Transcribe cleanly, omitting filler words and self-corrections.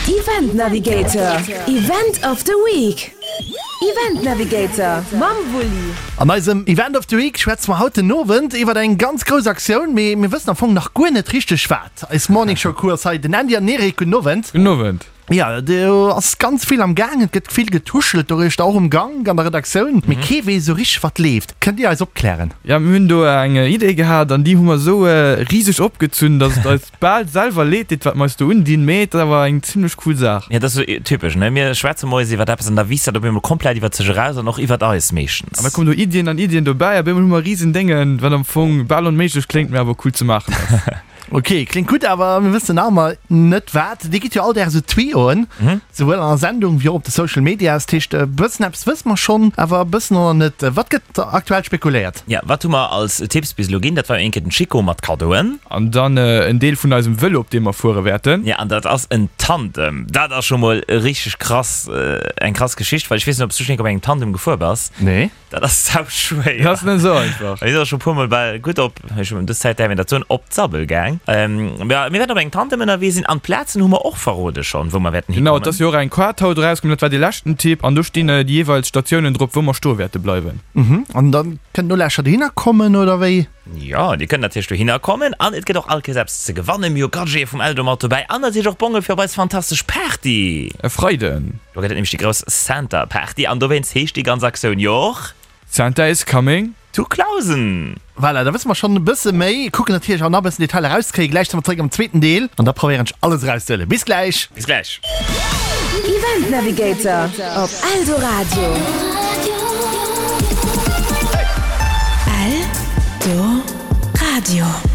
Event Navigator, Event of the Week. Event Navigator mam Wulli. An eisem Event of the Week schwätze mer haut den Owend iwwert eng ganz grouss Aktioun, mee mir wëssen am Fong nach guer net richteg wat. Eis Morning Show Crew ass hei, den Andy an den Eric. Gudden Owend. Gudden Owend. Jo, do ass ganz vill am Gaang, et gëtt vill getuschelt doruechter, och um Gank an der Redaktioun, mee kee weess esou richteg wat leeft. Kënnt Dir eis opklären? Jo, mir hunn do eng Idee gehat an déi hu mer esou riseg opgezunn, dass et eis bal selwer leed deet, wat mer eis do undinn, mee et ass awer eng zimlech cool Saach. Jo, dat ass esou typesch, ne? Mir schwätze moies iwwert eppes an da wiisst dat op eemol komplett iwwert sech eraus an och iwwert eis meeschtens. An da kommen do Iddien an Iddien dobäi a op eemol hu mer risen Déngen, wat am Fong bal onméiglech kléngt, mee awer cool ze maachen ass. Ok, kléngt gutt, awer mir wëssen nach ëmmer net wat. Dir gitt jo all Dag esou Tuyauxen, souwuel an der Sendung wéi och op de Social Medias. Dat heescht, e bëssen eppes wësse mer schonn, awer e bëssen och nach net. Wat gëtt aktuell spekuléiert? Ja, wat hu mer als Tipps bis elo ginn? Dat war jo eng Kéier den Chico mat Kaddoen. An dann en Deel vun eisem Vëlo, op deem mer fuere wäerten. Ja, an dat ass en Tandem. Dat ass scho mol richteg krass, eng krass Geschicht, well ech weess net, ob s du schonn eng Kéier op engem Tandem gefuer bass. Nee. Dat ass sau schwéier. Dat ass net esou einfach. Ech sinn och scho puer mol bal gutt op, ech hunn dës Zäit däerf een dat soen, op d'Sabbel gaang. Ja, mir wäerten op engem Tandem ënnerwee sinn an d'Plazen hu mer och verrode schonn, wou mer wäerten Genau, et ass jo och eng Kaart haut erauskomm, dat war dee leschten Tipp an do stinn déi jeeweils Statiounen drop, wou mer stoe wäerte bleiwen. An da kënnen d'Nolauschterer dohinner kommen, oder wéi? Jo, dir kënnt natierlech dohinner kommen an et gëtt och all Kéiers eppes ze gewannen. Mir hu Gadgete vum Eldo mat dobäi an natierlech och Bonge fir op eis fantastesch Party. E Freiden. Do gëtt et nämlech déi grouss Santa Party an dowéinst heescht déi ganz Aktioun jo och. Santa is coming. To Clausen! Voilà, da wësse mer schonn e bësse méi. Kucken natierlech och nach e bëssen Detailer erauszekréien. Gläich si mer zeréck am zweeten Deel an da probéieren ech alles erauszehuelen. Bis gläich! Bis gläich! Event Navigator op Eldoradio. Eldoradio.